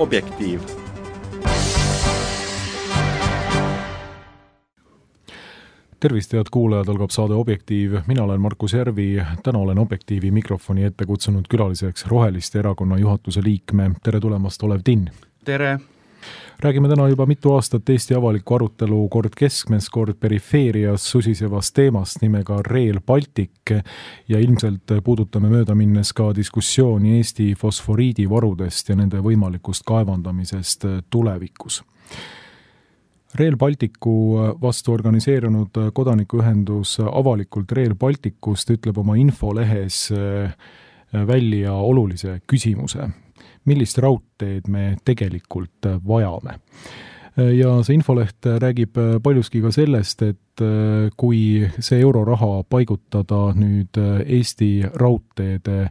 Objektiiv. Tervist, head kuulajad, algab saade Objektiiv. Mina olen Markus Järvi. Täna olen Objektiivi mikrofoni ette kutsunud külaliseks Roheliste erakonna juhatuse liikme. Tere tulemast, Olev Tinn. Tere! Räägime täna juba mitu aastat Eesti avaliku arutelu kord keskmes, kord perifeerias susisevast teemast nimega Rail Baltic ja ilmselt puudutame mööda minnes ka diskussiooni Eesti fosforiidivarudest ja nende võimalikust kaevandamisest tulevikus. Rail Balticu vastu organiseerunud kodanikuühendus avalikult Rail Balticust ütleb oma infolehes välja olulise küsimuse. Millist raudteed me tegelikult vajame. Ja see infoleht räägib paljuski ka sellest, et kui see euroraha paigutada nüüd Eesti raudteede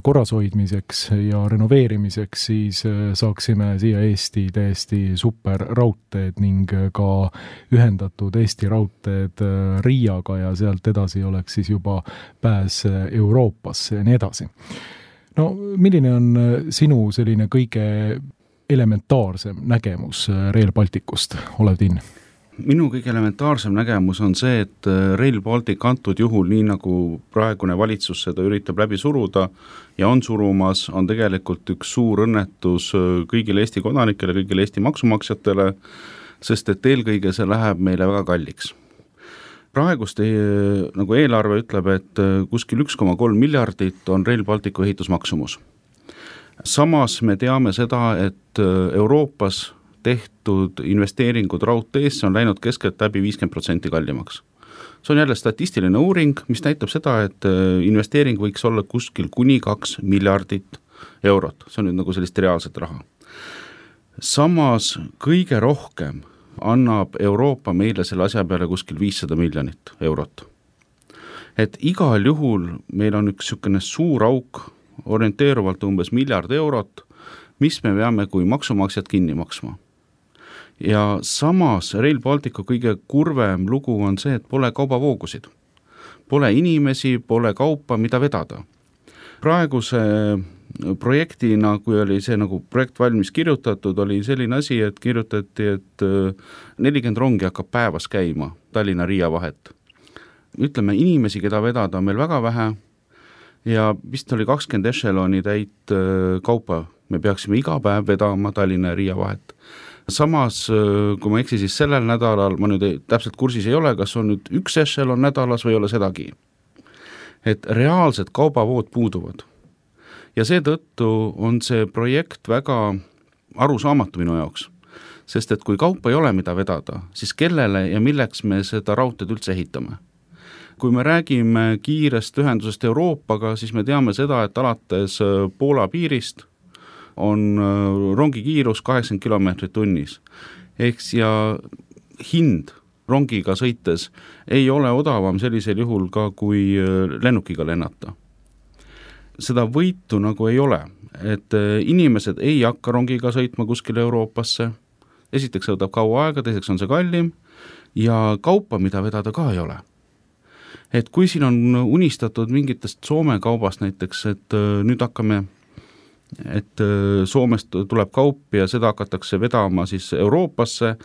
korrashoidmiseks ja renoveerimiseks, siis saaksime siia Eesti täiesti super raudteed ning ka ühendatud Eesti raudteed Riiaga ja sealt edasi oleks siis juba pääs Euroopasse ja nii edasi. No, milline on sinu selline kõige elementaarsem nägemus Rail Balticust, Olev Tinn? Minu kõige elementaarsem nägemus on see, et Rail Baltic antud juhul, nii nagu praegune valitsus seda üritab läbi suruda ja on surumas, on tegelikult üks suur õnnetus kõigile Eesti kodanikele, kõigile Eesti maksumaksjatele, sest et eelkõige see läheb meile väga kalliks. Praegust nagu eelarve ütleb, et kuskil 1,3 miljardit on Rail Balticu ehitusmaksumus. Samas me teame seda, et Euroopas tehtud investeeringud raudteesse on läinud keskelt läbi 50% kallimaks. See on jälle statistiline uuring, mis näitab seda, et investeering võiks olla kuskil kuni 2 miljardit eurot. See on nüüd nagu sellist reaalset raha. Samas kõige rohkem annab Euroopa meile selle asja peale kuskil 500 miljonit eurot. Et igal juhul meil on üks sükene suur auk, orienteeruvalt umbes 1 miljard eurot, mis me peame kui maksumaksjad kinni maksma. Ja samas Rail Balticu kõige kurvem lugu on see, et pole kaubavoogusid. Pole inimesi, pole kaupa, mida vedada. Praeguse projektina, kui oli see nagu projekt valmis kirjutatud, oli selline asi, et kirjutati, et 40 rongi hakkab päevas käima Tallinna-Riia vahet. Ütleme, inimesi, keda vedada on meil väga vähe ja vist oli 20 echeloni täit kaupa. Me peaksime iga päev vedama Tallinna-Riia vahet. Samas, kui ma eksi, siis sellel nädalal, ma nüüd täpselt kursis ei ole, kas on nüüd 1 echelon nädalas või ei ole sedagi. Et reaalsed kaubavood puuduvad. Ja seetõttu on see projekt väga arusaamatu minu jaoks, sest et kui kaupa ei ole mida vedada, siis kellele ja milleks me seda raudteed üldse ehitame. Kui me räägime kiirest ühendusest Euroopaga, siis me teame seda, et alates Poola piirist on rongi kiirus 80 kilomeetrit tunnis. Eks ja hind rongiga sõites ei ole odavam sellisel juhul ka kui lennukiga lennata. Seda võitu nagu ei ole, et inimesed ei hakka rongiga sõitma kuskile Euroopasse. Esiteks võtab kaua aega, teiseks on see kallim ja kaupa, mida vedada ka ei ole. Et kui siin on unistatud mingitest Soome kaubast näiteks, et nüüd hakkame, et Soomest tuleb kaup ja seda hakatakse vedama siis Euroopasse,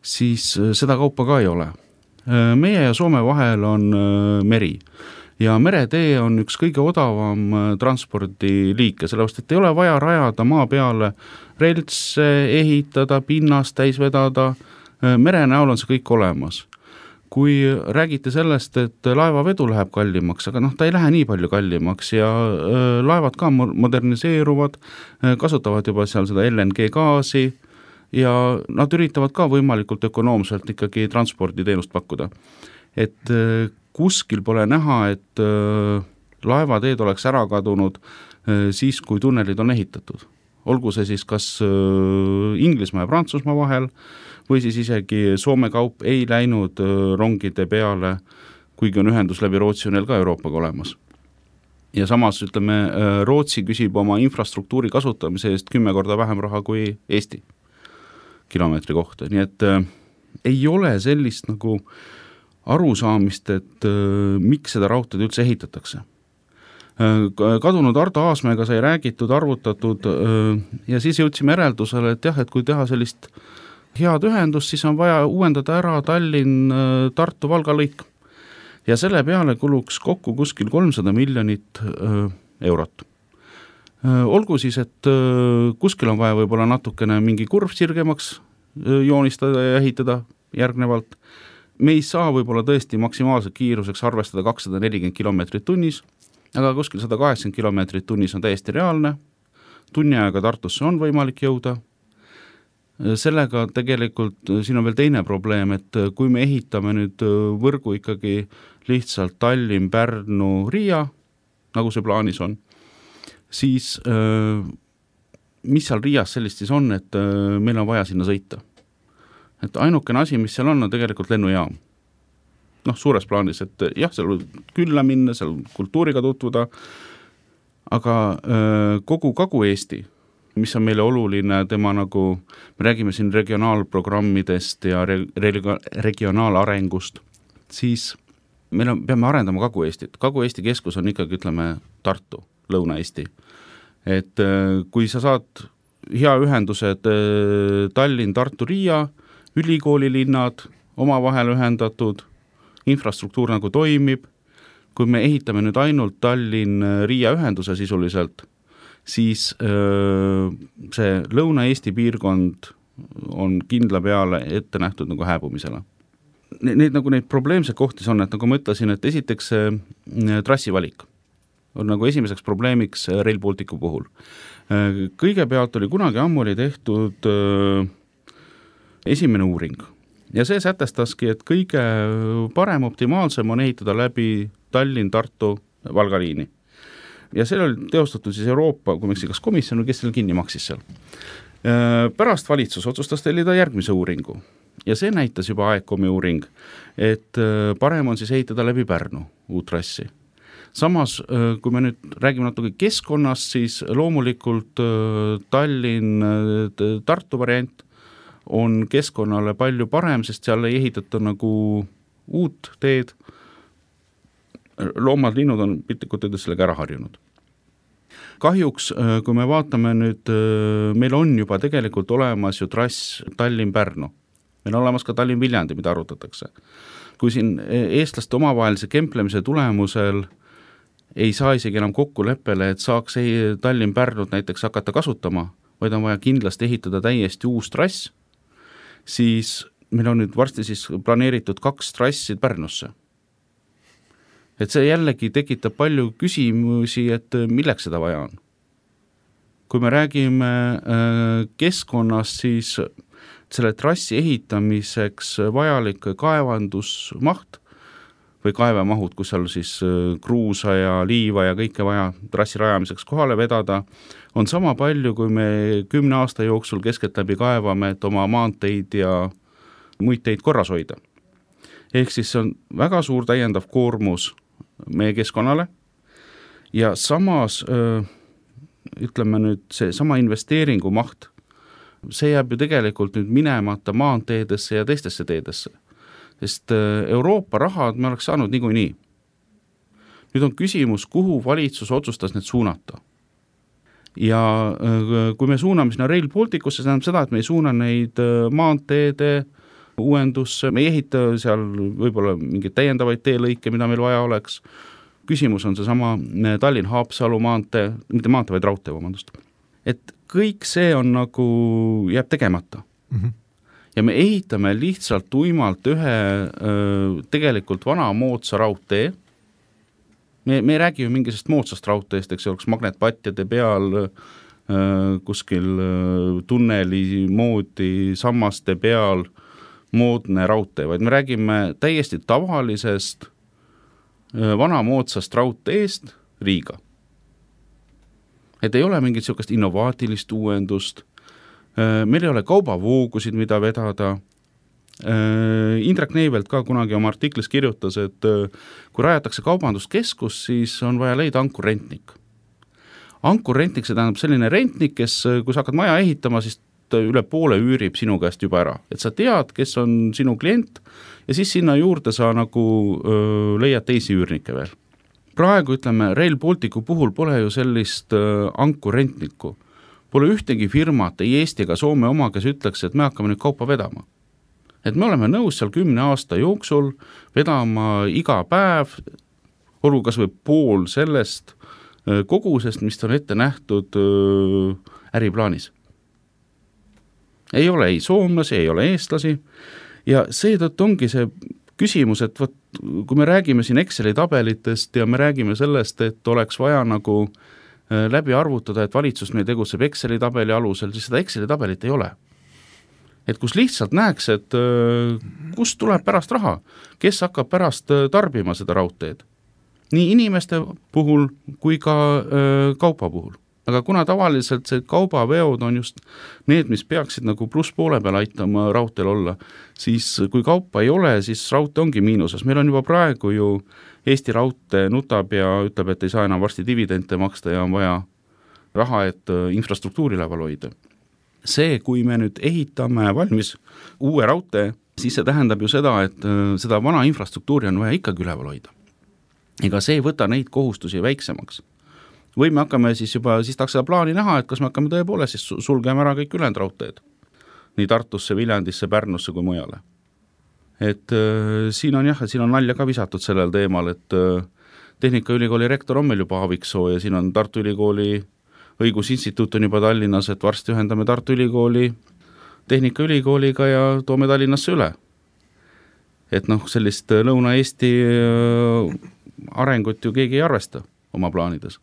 siis seda kaupa ka ei ole. Meie ja Soome vahel on meri. Ja meretee on üks kõige odavam transpordiliike, sellepärast, et ei ole vaja rajada maa peale reltse, ehitada, pinnast täis vedada, mere näol on see kõik olemas. Kui räägite sellest, et laevavedu läheb kallimaks, aga ta ei lähe nii palju kallimaks ja laevad ka moderniseeruvad, kasutavad juba seal seda LNG gaasi ja nad üritavad ka võimalikult ökonoomselt ikkagi transporditeenust pakkuda. Et kuskil pole näha, et laevateed oleks ära kadunud siis, kui tunnelid on ehitatud. Olgu see siis kas Inglismaa ja Prantsusmaa vahel või siis isegi Soome kaup ei läinud rongide peale, kuigi on ühendus läbi Rootsi on neil ka Euroopaga olemas. Ja samas, ütleme, Rootsi küsib oma infrastruktuuri kasutamise eest 10 korda vähem raha kui Eesti kilomeetri kohta. Nii et ei ole sellist nagu arusaamist, et miks seda raudteed üldse ehitatakse. Kadunud Ardo Aasmäega sai räägitud, arvutatud ja siis jõudsime järeldusele, et jah, et kui teha sellist head ühendust, siis on vaja uuendada ära Tallinn-Tartu-Valga lõik. Ja selle peale kuluks kokku kuskil 300 miljonit eurot. Olgu siis, et kuskil on vaja võib-olla natukene mingi kurv sirgemaks joonistada ja ehitada järgnevalt. Me ei saa võib-olla tõesti maksimaalselt kiiruseks arvestada 240 kilomeetrit tunnis, aga kuskil 180 kilomeetrit tunnis on täiesti reaalne. Tunni aega Tartusse on võimalik jõuda. Sellega tegelikult siin on veel teine probleem, et kui me ehitame nüüd võrgu ikkagi lihtsalt Tallinn, Pärnu, Riia, nagu see plaanis on, siis mis seal Riias sellist siis on, et meil on vaja sinna sõita. Et ainukene asi, mis seal on tegelikult lennujaam. Suures plaanis, et jah, seal külla minna, seal kultuuriga tutvuda, aga kogu Kagu-Eesti, mis on meile oluline, tema nagu, me räägime siin regionaalprogrammidest ja regionaalarengust, siis peame arendama Kagu-Eestit. Kagu-Eesti keskus on ikkagi, ütleme, Tartu, Lõuna-Eesti. Et kui sa saad hea ühendused Tallinn, Tartu, Riia, ülikoolilinnad, omavahel ühendatud, infrastruktuur nagu toimib, kui me ehitame nüüd ainult Tallinn-Riia ühenduse sisuliselt, siis see Lõuna-Eesti piirkond on kindla peale ette nähtud nagu hääbumisele. Neid probleemseid kohti on, et nagu ma ütlesin, et esiteks trassivalik on nagu esimeseks probleemiks Rail Balticu puhul. Kõigepealt oli kunagi ammu tehtud esimene uuring ja see sätestaski, et kõige parem optimaalsem on ehitada läbi Tallinn-Tartu Valga liini. Ja see oli teostatud siis Euroopa, kui kas komisjon, kes selle kinni maksis seal. Pärast valitsus otsustas tellida järgmise uuringu ja see näitas juba AECOM-i uuring, et parem on siis ehitada läbi Pärnu uut trassi. Samas, kui me nüüd räägime natuke keskkonnast, siis loomulikult Tallinn-Tartu variant on keskkonnale palju parem, sest seal ei ehitata nagu uut teed. Loomad, linnud on piltlikult öeldes sellega ära harjunud. Kahjuks, kui me vaatame nüüd, meil on juba tegelikult olemas ju trass Tallinn-Pärnu. Meil on olemas ka Tallinn-Viljandi, mida arutatakse. Kui siin eestlaste omavahelise kemplemise tulemusel ei saa isegi enam kokkuleppele, et saaks Tallinn-Pärnut näiteks hakata kasutama, vaid on vaja kindlasti ehitada täiesti uus trass, siis meil on nüüd varsti siis planeeritud 2 trassi Pärnusse. Et see jällegi tekitab palju küsimusi, et milleks seda vaja on. Kui me räägime keskkonnast, siis selle trassi ehitamiseks vajalik kaevandusmaht või kaevemahud, kus seal siis kruusa ja liiva ja kõike vaja trassi rajamiseks kohale vedada, on sama palju, kui me 10 aasta jooksul keskeltläbi kaevame, et oma maanteid ja muid teid korras hoida. Ehk siis see on väga suur täiendav koormus meie keskkonnale ja samas, ütleme nüüd, see sama investeeringu maht, see jääb ju tegelikult nüüd minemata maanteedesse ja teistesse teedesse. Sest Euroopa rahad me oleks saanud niikuinii. Nüüd on küsimus, kuhu valitsus otsustas need suunata. Ja kui me suuname sinna Rail Balticusse, see tähendab seda, et me ei suuna neid maanteede uuendusse, me ei ehita seal võib-olla mingeid täiendavaid teelõike, mida meil vaja oleks. Küsimus on seesama Tallinn-Haapsalu maantee, mitte maantee, vaid raudtee, vabandust. Et kõik see on nagu jääb tegemata. Ja me ehitame lihtsalt tuimalt ühe tegelikult vana moodsa raudtee. Me ei räägi ju mingisest moodsast raudteest, eks oleks magnetpatjade peal kuskil tunneli moodi sammaste peal moodne raudtee, vaid me räägime täiesti tavalisest vana moodsast raudteest Riiga. Et ei ole mingit sellist innovaatilist uuendust, meil ei ole kaubavoogusid, mida vedada. Indrek Neivelt ka kunagi oma artiklis kirjutas, et kui rajatakse kaubanduskeskus, siis on vaja leida ankurrentnik. Ankurrentnik, see tähendab selline rentnik, kes, kui sa hakkad maja ehitama, siis üle poole üürib sinu käest juba ära. Et sa tead, kes on sinu klient ja siis sinna juurde sa nagu leiad teisi üürnikke veel. praegu ütleme, Rail Balticu puhul pole ju sellist ankurentnikku. Pole ühtegi firmat, ei Eesti ega Soome oma, kes ütleks, et me hakkame nüüd kaupa vedama. Et me oleme nõus seal 10 aasta jooksul vedama iga päev, olgu kas või pool sellest kogusest, mis on ette nähtud äriplaanis. Ei ole ei soomlasi, ei ole eestlasi ja seetõttu ongi see küsimus, et võt, kui me räägime siin Exceli tabelitest ja me räägime sellest, et oleks vaja nagu läbi arvutada, et valitsus meil tegutseb Exceli tabeli alusel, siis seda Exceli tabelit ei ole. Et kus lihtsalt näeks, et kust tuleb pärast raha, kes hakkab pärast tarbima seda raudteed. Nii inimeste puhul kui ka kaupa puhul. Aga kuna tavaliselt see kaubaveod on just need, mis peaksid nagu pluss poole peal aitama raudteel olla, siis kui kaupa ei ole, siis raudtee ongi miinuses. Meil on juba praegu ju Eesti raudtee nutab ja ütleb, et ei saa enam varsti dividende maksta ja on vaja raha, et infrastruktuuri level hoida. See, kui me nüüd ehitame valmis uue raudtee, siis see tähendab ju seda, et seda vana infrastruktuuri on vaja ikkagi üleval hoida. Ega see ei võta neid kohustusi väiksemaks. Või me hakkame siis juba, siis tahaks seda plaani näha, et kas me hakkame tõepoolest siis sulgeme ära kõik ülejäänud raudteed. Nii Tartusse, Viljandisse, Pärnusse kui mujale. Et siin on jah, siin on nalja ka visatud sellel teemal, et Tehnikaülikooli rektor on meil juba Aaviksoo ja siin on Tartu Ülikooli õigusinstituut on juba Tallinnas, et varsti ühendame Tartu Ülikooli Tehnikaülikooliga ja toome Tallinnasse üle. Et sellist Lõuna-Eesti arengut ju keegi ei arvesta oma plaanides.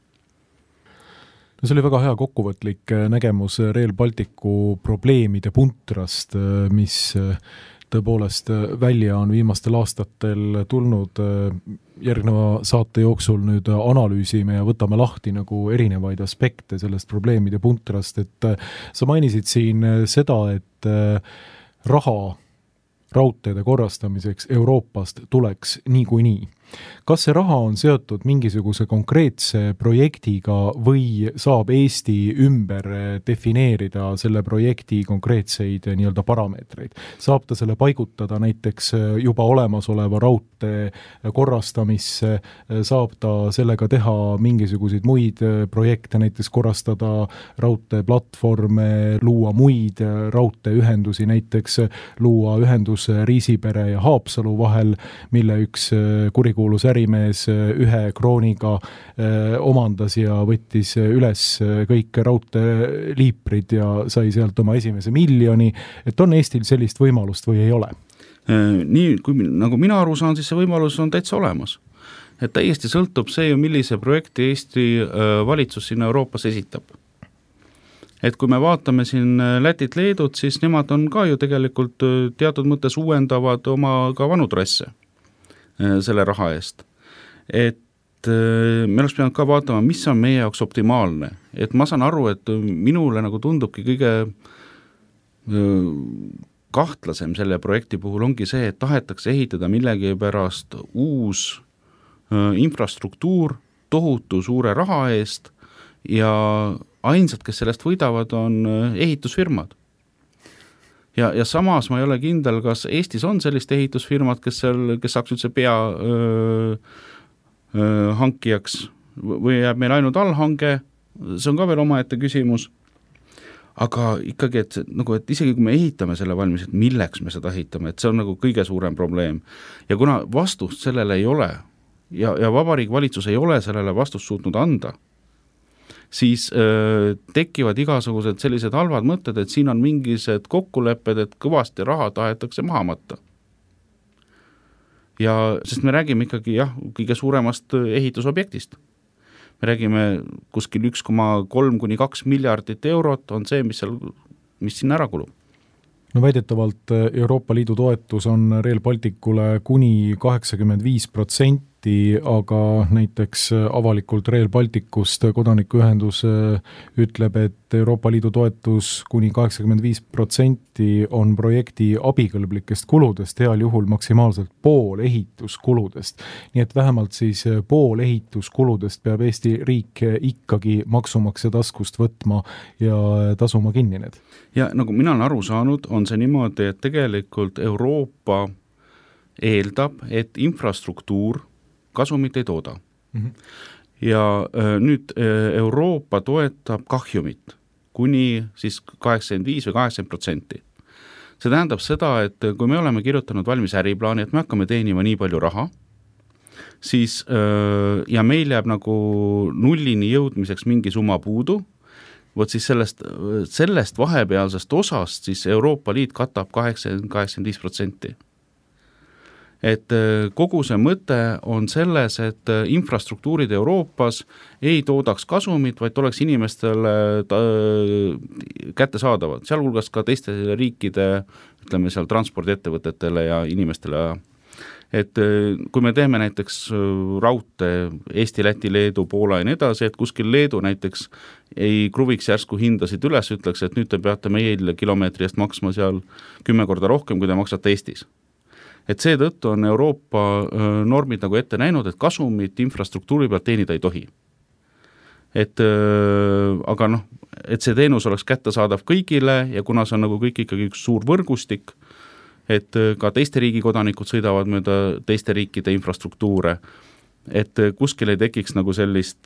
No see oli väga hea kokkuvõtlik nägemus Rail Balticu probleemide puntrast, mis tõepoolest välja on viimastel aastatel tulnud. Järgneva saate jooksul nüüd analüüsime ja võtame lahti nagu erinevaid aspekte sellest probleemide puntrast, et sa mainisid siin seda, et raha raudteede korrastamiseks Euroopast tuleks niikuinii. Kas see raha on seotud mingisuguse konkreetse projektiga või saab Eesti ümber defineerida selle projekti konkreetseid nii-öelda parameetreid? Saab ta selle paigutada näiteks juba olemasoleva raudtee korrastamisse, saab ta sellega teha mingisuguseid muid projekte, näiteks korrastada raudteeplatvorme, luua muid raudteeühendusi, näiteks luua ühendus Riisipere ja Haapsalu vahel, mille üks kurikuulus ärimees ühe krooniga omandas ja võttis üles kõik raudteeliiprid ja sai sealt oma esimese miljoni, et on Eestil sellist võimalust või ei ole? Nii, kui nagu mina aru saan, siis see võimalus on täitsa olemas. Et täiesti sõltub see, millise projekti Eesti valitsus sinna Euroopas esitab. Et kui me vaatame siin Lätit, Leedut, siis nemad on ka ju tegelikult teatud mõttes uuendavad oma ka vanu trasse selle raha eest. Et me oleks pidanud ka vaatama, mis on meie jaoks optimaalne. Et ma saan aru, et minule nagu tundubki kõige kahtlasem selle projekti puhul ongi see, et tahetakse ehitada millegi pärast uus infrastruktuur tohutu suure raha eest ja ainsad, kes sellest võidavad, on ehitusfirmad. Ja samas ma ei ole kindel, kas Eestis on sellist ehitusfirmad, kes saaks üldse pea hankijaks või jääb meil ainult allhange, see on ka veel omaette küsimus. Aga ikkagi, et isegi kui me ehitame selle valmis, et milleks me seda ehitame, et see on nagu kõige suurem probleem. Ja kuna vastust sellele ei ole ja Vabariigi valitsus ei ole sellele vastust suutnud anda, siis tekivad igasugused sellised halvad mõtted, et siin on mingised kokkulepped, et kõvasti raha tahetakse maha matta. Ja sest me räägime ikkagi kõige suuremast ehitusobjektist. Me räägime kuskil 1,3–2 miljardit eurot on see, mis siin ära kulub. No väidetavalt Euroopa Liidu toetus on Rail Balticule kuni 85%, aga näiteks avalikult Rail Balticust kodanikuühendus ütleb, et Euroopa Liidu toetus kuni 85% on projekti abikõlblikest kuludest, heal juhul maksimaalselt pool ehituskuludest. Nii et vähemalt siis pool ehituskuludest peab Eesti riik ikkagi maksumaksja taskust võtma ja tasuma kinni need. Ja nagu mina olen aru saanud, on see niimoodi, et tegelikult Euroopa eeldab, et infrastruktuur kasumit ei tooda. Ja nüüd Euroopa toetab kahjumit kuni siis 85 või 80%. See tähendab seda, et kui me oleme kirjutanud valmis äriplaani, et me hakkame teenima nii palju raha, siis ja meil jääb nagu nullini jõudmiseks mingi summa puudu, võt siis sellest vahepealsest osast siis Euroopa Liit katab 80-85%. Et kogu see mõte on selles, et infrastruktuurid Euroopas ei toodaks kasumit, vaid oleks inimestele kättesaadavad, sealhulgas ka teiste riikide, ütleme seal transpordiettevõtetele ja inimestele. Et kui me teeme näiteks raudtee Eesti, Läti, Leedu, Poola ja nii edasi, et kuskil Leedu näiteks ei kruviks järsku hindasid üles, ütleks, et nüüd te peate meil kilomeetri eest maksma seal 10 korda rohkem, kui te maksate Eestis. Et seetõttu on Euroopa normid nagu ette näinud, et kasumit infrastruktuuri pealt teenida ei tohi. Aga et see teenus oleks kättesaadav kõigile ja kuna see on nagu kõik ikkagi üks suur võrgustik, et ka teiste riigi kodanikud sõidavad mööda teiste riikide infrastruktuure, et kuskil ei tekiks nagu sellist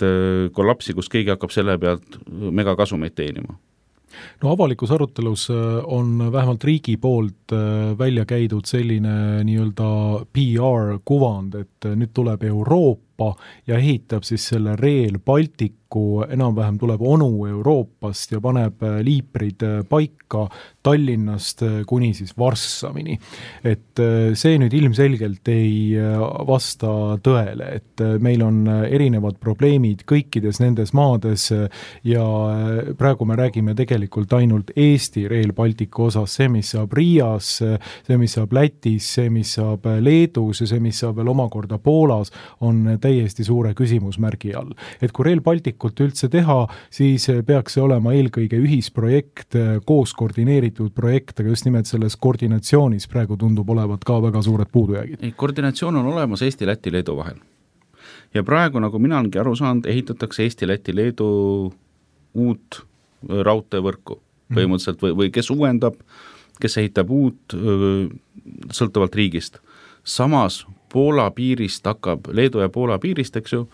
kollapsi, kus keegi hakkab selle pealt megakasumeid teenima. No avalikus arutelus on vähemalt riigi poolt välja käidud selline nii-öelda PR-kuvand, et nüüd tuleb Euroopa ja ehitab siis selle Rail Balticu, enam-vähem tuleb onu Euroopast ja paneb liiprid paika Tallinnast kuni siis Varssavini. Et see nüüd ilmselgelt ei vasta tõele, et meil on erinevad probleemid kõikides nendes maades ja praegu me räägime tegelikult ainult Eesti Rail Balticu osas, see, mis saab Riias, see, mis saab Lätis, see, mis saab Leedus ja see, mis saab veel omakorda Poolas, on täiesti suure küsimusmärgi all. Et kui Rail Balticut üldse teha, siis peaks see olema eelkõige ühisprojekt, koos koordineeritud projekt, aga just nimelt selles koordinatsioonis praegu tundub olevat ka väga suured puudujäägid. Koordinatsioon on olemas Eesti, Läti, Leedu vahel. Ja praegu, nagu mina olengi aru saanud, ehitatakse Eesti, Läti, Leedu uut raudteevõrku põhimõtteliselt või kes uuendab, kes ehitab uut sõltuvalt riigist. Samas Poola piirist hakkab, Leedu ja Poola piirist, eks ju,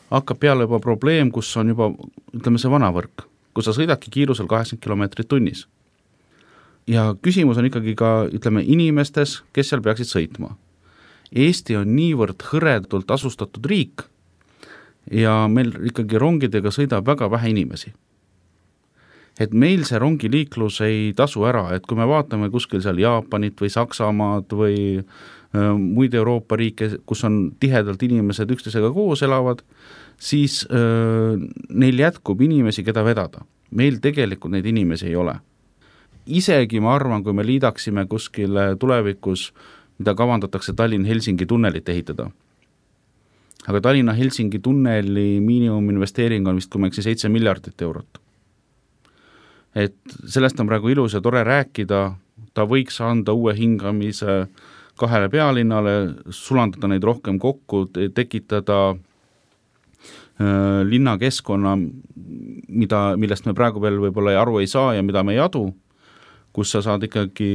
hakkab peale juba probleem, kus on juba, ütleme see vana võrk, kus sa sõidadki kiirusel 80 kilomeetrit tunnis. Ja küsimus on ikkagi ka, ütleme, inimestes, kes seal peaksid sõitma. Eesti on niivõrd hõredult asustatud riik ja meil ikkagi rongidega sõidab väga vähe inimesi. Et meil see rongiliiklus ei tasu ära, et kui me vaatame kuskil seal Jaapanit või Saksamaad või muid Euroopa riike, kus on tihedalt inimesed üksteisega koos elavad, siis neil jätkub inimesi, keda vedada. Meil tegelikult neid inimesi ei ole. Isegi ma arvan, kui me liidaksime kuskil tulevikus, mida kavandatakse Tallinn-Helsingi tunnelit ehitada. Aga Tallinna-Helsingi tunneli miinimuminvesteering on vist, kui ma eksi, 7 miljardit eurot. Et sellest on praegu ilus ja tore rääkida, ta võiks anda uue hingamise kahele pealinnale, sulandada neid rohkem kokku, tekitada linnakeskkonna, millest me praegu veel võib-olla aru ei saa ja mida me ei adu, kus sa saad ikkagi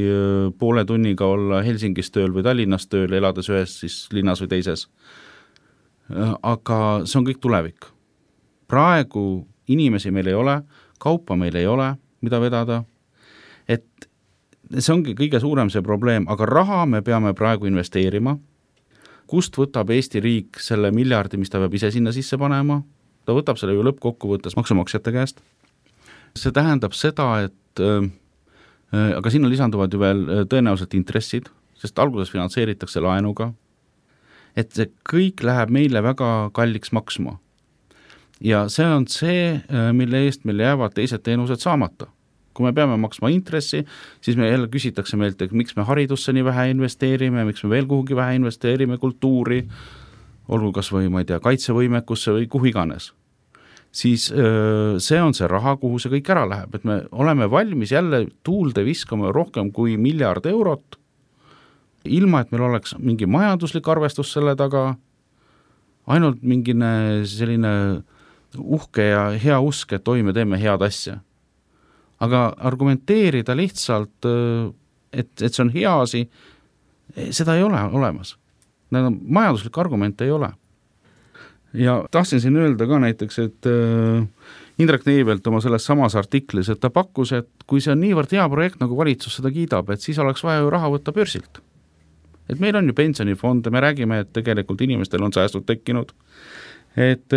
poole tunniga olla Helsingis tööl või Tallinnas tööl, elades ühes siis linnas või teises. Aga see on kõik tulevik. Praegu inimesi meil ei ole, kaupa meil ei ole, mida vedada, et see ongi kõige suurem see probleem, aga raha me peame praegu investeerima. Kust võtab Eesti riik selle miljardi, mis ta peab ise sinna sisse panema? Ta võtab selle ju lõppkokkuvõttes maksumaksjate käest. See tähendab seda, et aga sinna lisanduvad ju veel tõenäoliselt intressid, sest alguses finantseeritakse laenuga. Et see kõik läheb meile väga kalliks maksma. Ja see on see, mille eest meil jäävad teised teenused saamata. Kui me peame maksma intressi, siis me jälle küsitakse meilt, et miks me haridusse nii vähe investeerime, miks me veel kuhugi vähe investeerime kultuuri, olgu kas või, ma ei tea, kaitsevõimekusse või kuhu iganes. Siis see on see raha, kuhu see kõik ära läheb, et me oleme valmis jälle tuulde viskama rohkem kui 1 miljard eurot, ilma et meil oleks mingi majanduslik arvestus selle taga, ainult mingine selline uhke ja hea usk, et me teeme head asja. Aga argumenteerida lihtsalt, et see on hea asi, seda ei ole olemas. Majanduslik argument ei ole. Ja tahtsin siin öelda ka näiteks, et Indrek Neivelt oma selles samas artiklis, et ta pakkus, et kui see on niivõrd hea projekt, nagu valitsus seda kiidab, et siis oleks vaja ju raha võtta börsilt. Et meil on ju pensionifonde, me räägime, et tegelikult inimestel on säästud tekkinud, et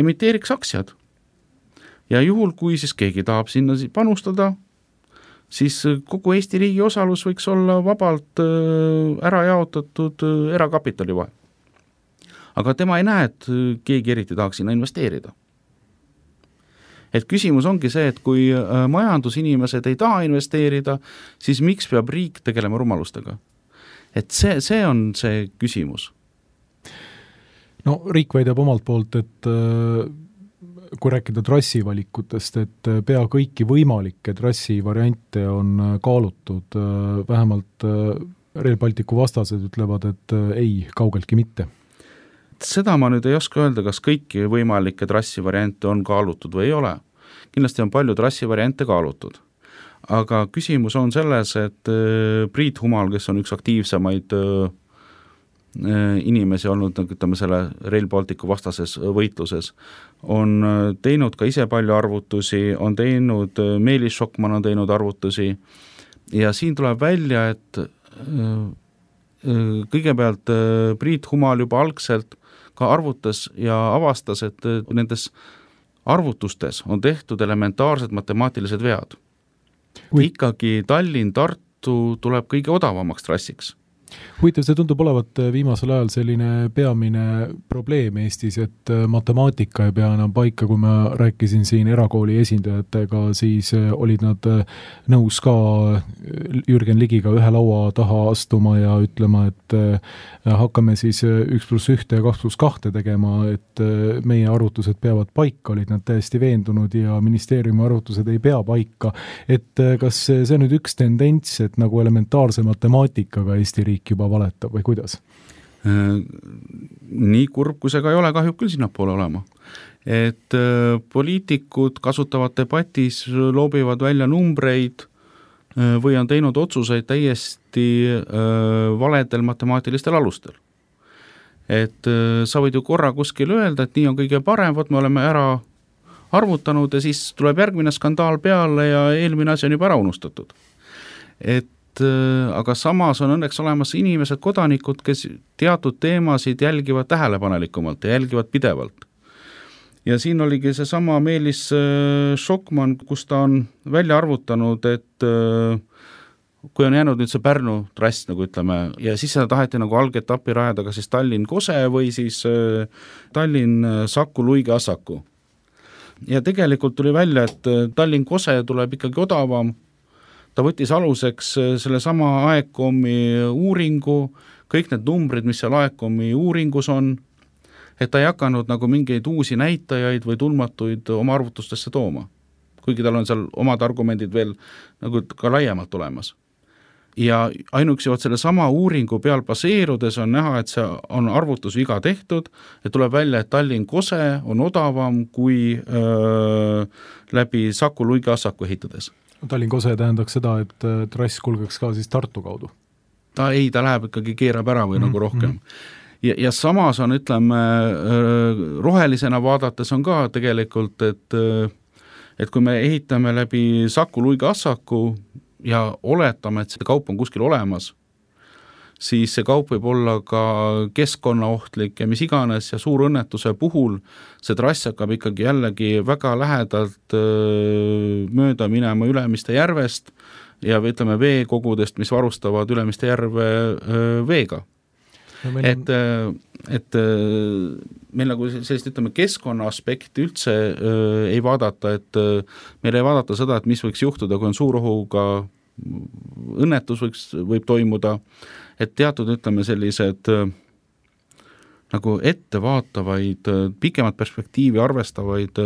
emiteeriks aktsiad. Ja juhul, kui siis keegi tahab sinna panustada, siis kogu Eesti riigi osalus võiks olla vabalt ära jaotatud erakapitali vahel. Aga tema ei näe, et keegi eriti tahaks sinna investeerida. Et küsimus ongi see, et kui majandusinimesed ei taha investeerida, siis miks peab riik tegelema rumalustega? Et see on see küsimus. No riik väidab omalt poolt, et kui rääkida trassivalikutest, et pea kõiki võimalikke trassivariante on kaalutud, vähemalt Rail Balticu vastased ütlevad, et ei, kaugeltki mitte. Seda ma nüüd ei oska öelda, kas kõiki võimalikke trassivariante on kaalutud või ei ole. Kindlasti on palju trassivariante kaalutud. Aga küsimus on selles, et Priit Humal, kes on üks aktiivsemaid inimesi olnud, ütleme selle Rail Balticu vastases võitluses, on teinud ka ise palju arvutusi, on teinud, Meelis Šokman on teinud arvutusi ja siin tuleb välja, et kõigepealt Priit Humal juba algselt ka arvutas ja avastas, et nendes arvutustes on tehtud elementaarsed matemaatilised vead. Ikkagi Tallinn-Tartu tuleb kõige odavamaks trassiks. Huvitav, see tundub olevat viimasel ajal selline peamine probleem Eestis, et matemaatika ei pea enam paika. Kui ma rääkisin siin erakooli esindajatega, siis olid nad nõus ka Jürgen Ligiga ühe laua taha astuma ja ütlema, et hakkame siis 1+1 ja 2+2 tegema, et meie arvutused peavad paika, olid nad täiesti veendunud ja ministeeriumi arvutused ei pea paika. Et kas see on nüüd üks tendents, et nagu elementaarse matemaatikaga Eesti riik juba valetab või kuidas? Nii kurb, kui see ka ei ole, kahjub küll sinnapoole olema. Et poliitikud kasutavad debatis, loobivad välja numbreid või on teinud otsuseid täiesti valedel matemaatilistel alustel. Et sa võid ju korra kuskil öelda, et nii on kõige parem, võt me oleme ära arvutanud ja siis tuleb järgmine skandaal peale ja eelmine asi on juba ära unustatud. Aga samas on õnneks olemas inimesed, kodanikud, kes teatud teemasid jälgivad tähelepanelikumalt ja jälgivad pidevalt. Ja siin oligi see sama Meelis Šokman, kus ta on välja arvutanud, et kui on jäänud nüüd see Pärnu trass, nagu ütleme, ja siis seda taheti nagu algetappi rajada, kas siis Tallinn-Kose või siis Tallinn-Saku-Luige-Assaku. Ja tegelikult tuli välja, et Tallinn-Kose tuleb ikkagi odavam. Ta võttis aluseks selle sama AECOM-i uuringu, kõik need numbrid, mis seal AECOM-i uuringus on, et ta ei hakanud nagu mingeid uusi näitajaid või tundmatuid oma arvutustesse tooma. Kuigi tal on seal omad argumendid veel nagu ka laiemalt olemas. Ja ainuüksi selle sama uuringu peal baseerudes on näha, et see on arvutusviga tehtud, et tuleb välja, et Tallinn-Kose on odavam kui läbi Saku-Luige-Assaku ehitades. Tallinn-Kose tähendaks seda, et trass kulgeks ka siis Tartu kaudu? Ta läheb ikkagi, keerab ära või nagu rohkem. Ja samas on, ütleme, rohelisena vaadates on ka tegelikult, et kui me ehitame läbi Saku-Luige-Assaku ja oletame, et see kaup on kuskil olemas, siis see kaup võib olla ka keskkonnaohtlik ja mis iganes ja suur õnnetuse puhul see trass hakkab ikkagi jällegi väga lähedalt mööda minema Ülemiste järvest ja ütleme veekogudest, mis varustavad Ülemiste järve veega. No, et meil nagu sellist, ütleme, keskkonna aspekti üldse ei vaadata, et meil ei vaadata seda, et mis võiks juhtuda, kui on suurohuga õnnetus võib toimuda, et teatud, ütleme, sellised nagu ettevaatavaid, pikemat perspektiivi arvestavaid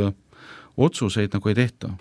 otsuseid nagu ei tehta.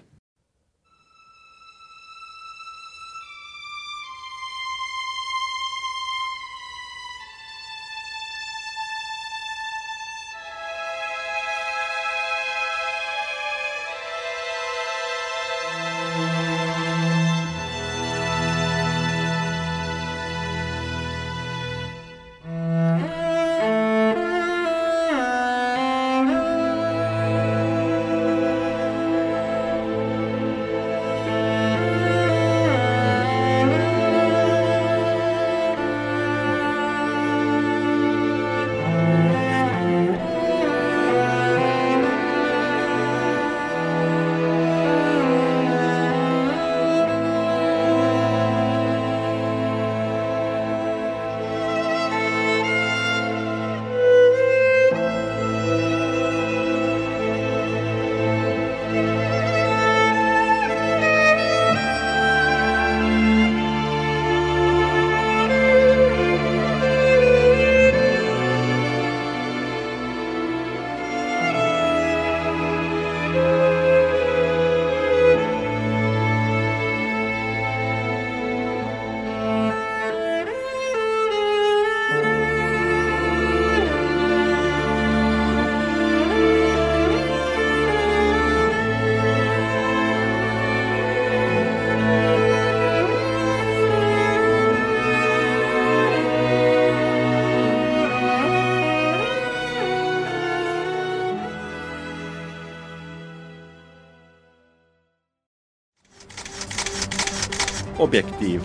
objektiiv.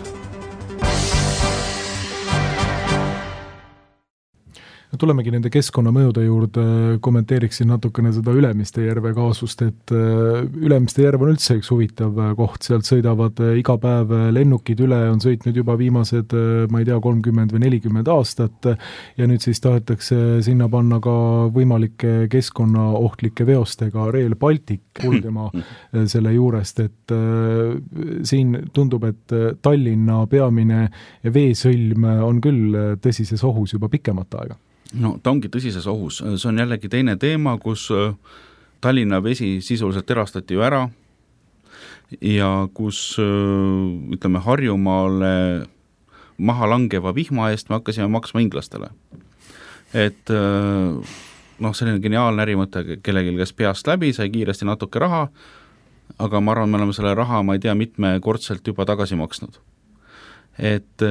Tulemegi nende keskkonnamõjude juurde, kommenteeriksin natukene seda Ülemiste järve kaasust, et Ülemiste järv on üldse üks huvitav koht, sealt sõidavad iga päev lennukid üle, on sõitnud juba viimased, ma ei tea, 30 või 40 aastat ja nüüd siis tahetakse sinna panna ka võimalike keskkonnaohtlike veostega Rail Baltic kulgema selle juurest, et siin tundub, et Tallinna peamine veesõlm on küll tõsises ohus juba pikemat aega. No ta ongi tõsises ohus, see on jällegi teine teema, kus Tallinna vesi sisuliselt erastati ju ära ja kus ütleme Harjumaale maha langeva vihma eest me hakkasime maksma inglastele. Et selline geniaalne ärimõte kellelgi, kes peast läbi, sai kiiresti natuke raha, aga ma arvan, me oleme selle raha, ma ei tea, mitmekordselt juba tagasi maksnud. Et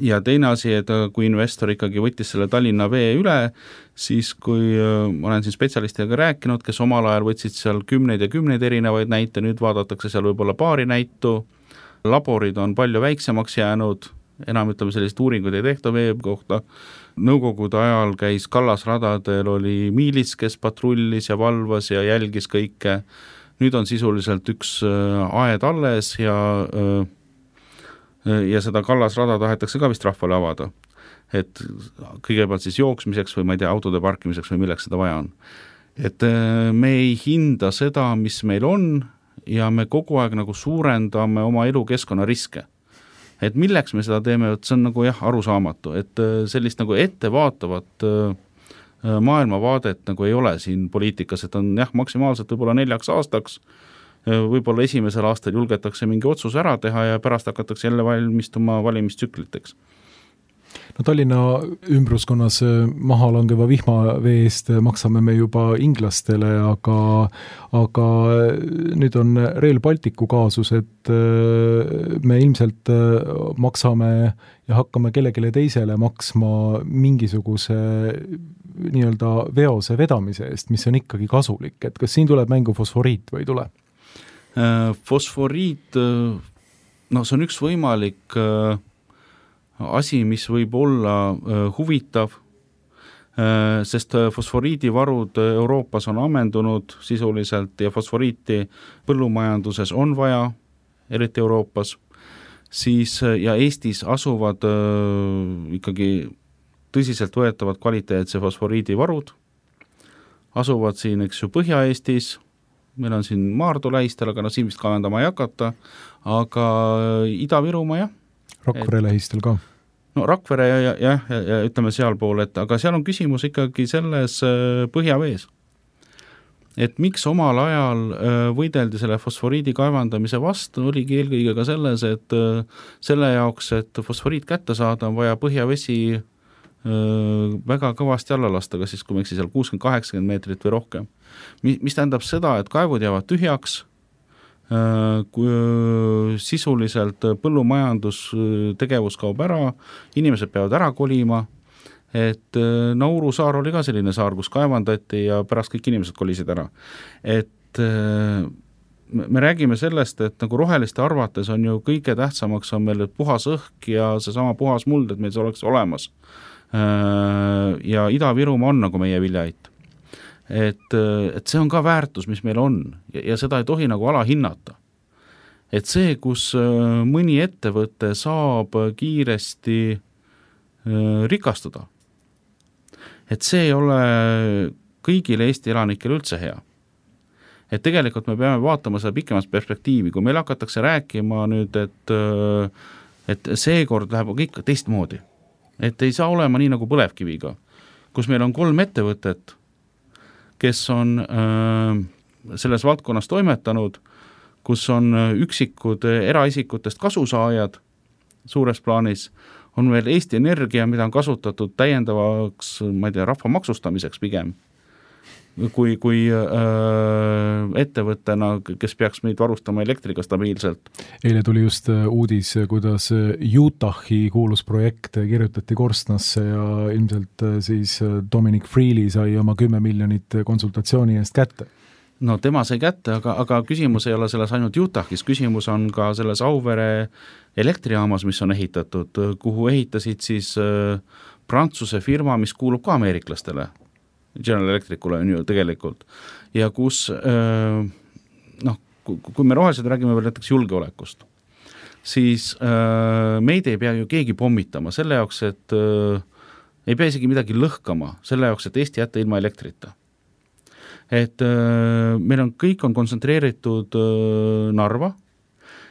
ja teine asi, et kui investor ikkagi võttis selle Tallinna vee üle, siis kui ma olen siin spetsialistidega rääkinud, kes omal ajal võtsid seal kümneid ja kümneid erinevaid näite, nüüd vaadatakse seal võib-olla paari näitu, laborid on palju väiksemaks jäänud, enam ütleme sellist uuringuid ei tehta vee kohta. Nõukogude ajal käis kallasradadel, oli miilits, kes patrullis ja valvas ja jälgis kõike. Nüüd on sisuliselt üks aed alles ja seda kallasrada tahetakse ka vist rahvale avada. Et kõigepealt siis jooksmiseks või ma ei tea, autode parkimiseks või milleks seda vaja on. Et me ei hinda seda, mis meil on ja me kogu aeg nagu suurendame oma elukeskkonna riske. Et milleks me seda teeme, et see on nagu arusaamatu, et sellist nagu ettevaatavat maailmavaadet nagu ei ole siin poliitikas, et on maksimaalselt võib-olla 4 aastaks, võib-olla esimesel aastal julgetakse mingi otsus ära teha ja pärast hakatakse jälle valmistuma valimistsükliteks. No Tallinna ümbruskonnas maha langeva vihmavee eest maksame me juba inglastele, aga nüüd on Rail Balticu kaasus, et me ilmselt maksame ja hakkame kellelegi teisele maksma mingisuguse nii-öelda veose vedamise eest, mis on ikkagi kasulik, et kas siin tuleb mängu fosforiit või ei tule? Fosforiit, see on üks võimalik asi, mis võib olla huvitav, sest fosforiidivarud Euroopas on ammendunud sisuliselt ja fosforiiti põllumajanduses on vaja, eriti Euroopas, siis ja Eestis asuvad ikkagi tõsiselt võetavad kvaliteetse fosforiidivarud, asuvad siin, eks ju, Põhja-Eestis, meil on siin Maardu lähistel, aga siin vist kaevandama ei hakata, aga Ida-Virumaa Rakvere lähistel ka. No Rakvere ja ütleme sealpool, aga seal on küsimus ikkagi selles põhjavees. Et miks omal ajal võideldi selle fosforiidi kaevandamise vastu, oligi eelkõige ka selles, et selle jaoks, et fosforiit kätte saada, on vaja põhjavesi väga kõvasti alla lasta, kas siis kui me seal 60-80 meetrit või rohkem. Mis tähendab seda, et kaevud jäävad tühjaks, kui sisuliselt põllumajandustegevus kaob ära, inimesed peavad ära kolima, et Nauru saar oli ka selline saar, kus kaevandati ja pärast kõik inimesed kolisid ära. Et me räägime sellest, et nagu roheliste arvates on ju kõige tähtsamaks on meil puhas õhk ja seesama puhas muld, et meil see oleks olemas. Ja Ida-Virumaa on nagu meie viljaait. Et see on ka väärtus, mis meil on ja seda ei tohi nagu alahinnata. Et see, kus mõni ettevõte saab kiiresti rikastuda, et see ei ole kõigile Eesti elanikele üldse hea. Et tegelikult me peame vaatama seda pikemas perspektiivi, kui meil hakatakse rääkima nüüd, et seekord läheb kõik teistmoodi. Et ei saa olema nii nagu põlevkiviga, kus meil on 3 ettevõtet, kes on selles valdkonnas toimetanud, kus on üksikud eraisikutest kasusaajad suures plaanis, on veel Eesti Energia, mida on kasutatud täiendavaks, ma ei tea, rahva maksustamiseks pigem, kui ettevõttena, kes peaks meid varustama elektriga stabiilselt. Eile tuli just uudis, kuidas Utahi kuulus projekt kirjutati korstnasse ja ilmselt siis Dominic Freely sai oma 10 miljonit konsultatsiooni eest kätte. No tema sai kätte, aga küsimus ei ole selles ainult Utah'is, küsimus on ka selles Auvere elektrijaamas, mis on ehitatud, kuhu ehitasid siis Prantsuse firma, mis kuulub ka ameeriklastele, General Electricule on ju tegelikult, ja kus kui me rohelised räägime veel näiteks julgeolekust, siis meid ei pea ju keegi pommitama selle jaoks, et ei pea isegi midagi lõhkama selle jaoks, et Eesti jätta ilma elektrita. Et meil on, kõik on kontsentreeritud Narva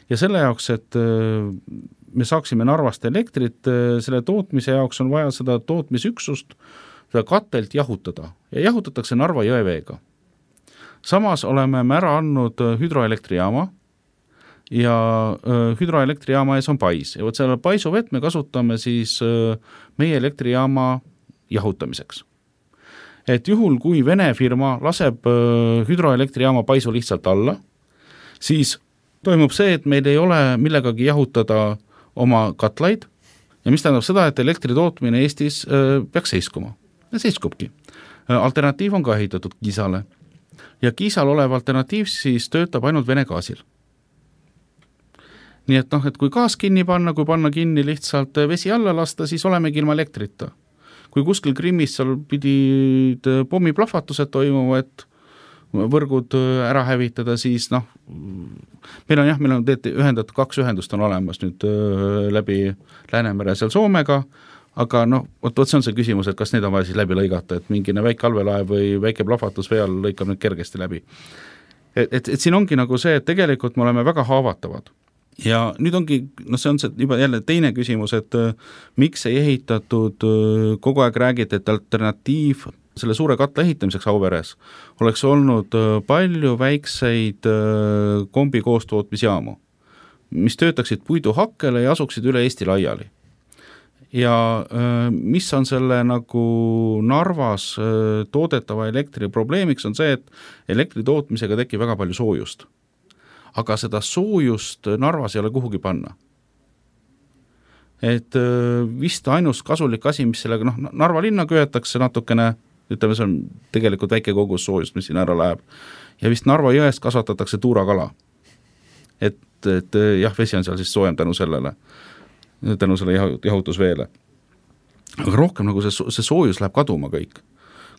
ja selle jaoks, et me saaksime Narvast elektrit, selle tootmise jaoks on vaja seda tootmisüksust, seda katelt jahutada ja jahutatakse Narva jõeveega. Samas oleme me ära andnud hüdroelektrijaama ja hüdroelektrijaama ees on pais ja selle paisuvett me kasutame siis meie elektrijaama jahutamiseks. Et juhul, kui Vene firma laseb hüdroelektrijaama paisu lihtsalt alla, siis toimub see, et meil ei ole millegagi jahutada oma katlaid ja mis tähendab seda, et elektri tootmine Eestis peaks seiskuma. Ja seiskubki. Alternatiiv on ka ehitatud Kiisale ja Kiisal olev alternatiiv siis töötab ainult Vene gaasil. Nii et et kui gaas kinni panna, kui panna kinni lihtsalt vesi alla lasta, siis olemegi ilma elektrita. Kui kuskil Krimmis seal pidid pommiplahvatused toimuma, et võrgud ära hävitada, siis meil on ühendatud 2 ühendust on olemas nüüd läbi Läänemere seal Soomega, aga see on see küsimus, et kas need on vaja siis läbi lõigata, et mingine väike allveelaev või väike plahvatus vee all lõikab nüüd kergesti läbi. Et siin ongi nagu see, et tegelikult me oleme väga haavatavad. Ja nüüd ongi, see on see juba jälle teine küsimus, et miks ei ehitatud, kogu aeg räägiti, et alternatiiv selle suure katla ehitamiseks Auveres oleks olnud palju väikseid kombi koostootmisjaamu, mis töötaksid puiduhakkele ja asuksid üle Eesti laiali. Ja mis on selle nagu Narvas toodetava elektri probleemiks on see, et elektri tootmisega tekib väga palju soojust. Aga seda soojust Narvas ei ole kuhugi panna. Et vist ainus kasulik asi, mis sellega, Narva linna köetakse natukene, ütleme, see on tegelikult väike kogus soojust, mis siin ära läheb. Ja vist Narva jõest kasvatatakse tuurakala. Et jah, vesi on seal siis soojem tänu sellele jahutusveele. Aga rohkem nagu see soojus läheb kaduma kõik.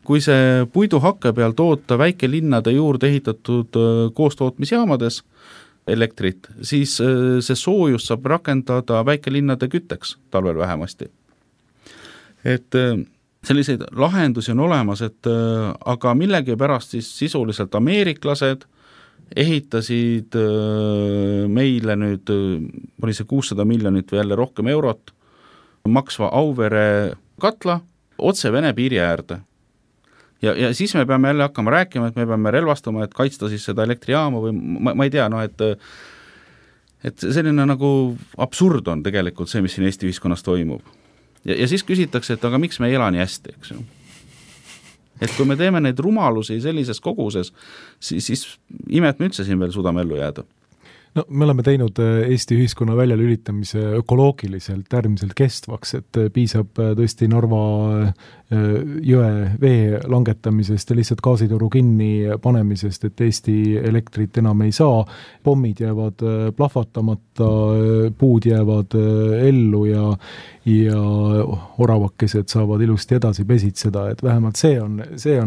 Kui see puiduhakke peal toota väikelinnade juurde ehitatud koostootmisjaamades elektrit, siis see soojus saab rakendada väikelinnade kütteks talvel vähemasti. Et selliseid lahendusi on olemas, aga millegi pärast siis sisuliselt ameeriklased ehitasid meile nüüd, oli see 600 miljonit või jälle rohkem eurot, maksva Auvere katla otse Vene piiri äärde. Ja siis me peame jälle hakkama rääkima, et me peame relvastuma, et kaitsta siis seda elektrijaama või ma ei tea, et selline nagu absurd on tegelikult see, mis siin Eesti ühiskonnas toimub. Ja siis küsitakse, et aga miks me ei ela nii hästi, eks ju? Et kui me teeme neid rumalusi sellises koguses, siis imet me üldse siin veel suudame ellu jääda. Me oleme teinud Eesti ühiskonna väljalülitamise ökoloogiliselt äärmiselt kestvaks, et piisab tõesti Narva jõe vee langetamisest ja lihtsalt gaasitoru kinni panemisest, et Eesti elektrit enam ei saa, pommid jäävad plahvatamata, puud jäävad ellu ja oravakesed saavad ilusti edasi pesitseda, et vähemalt see on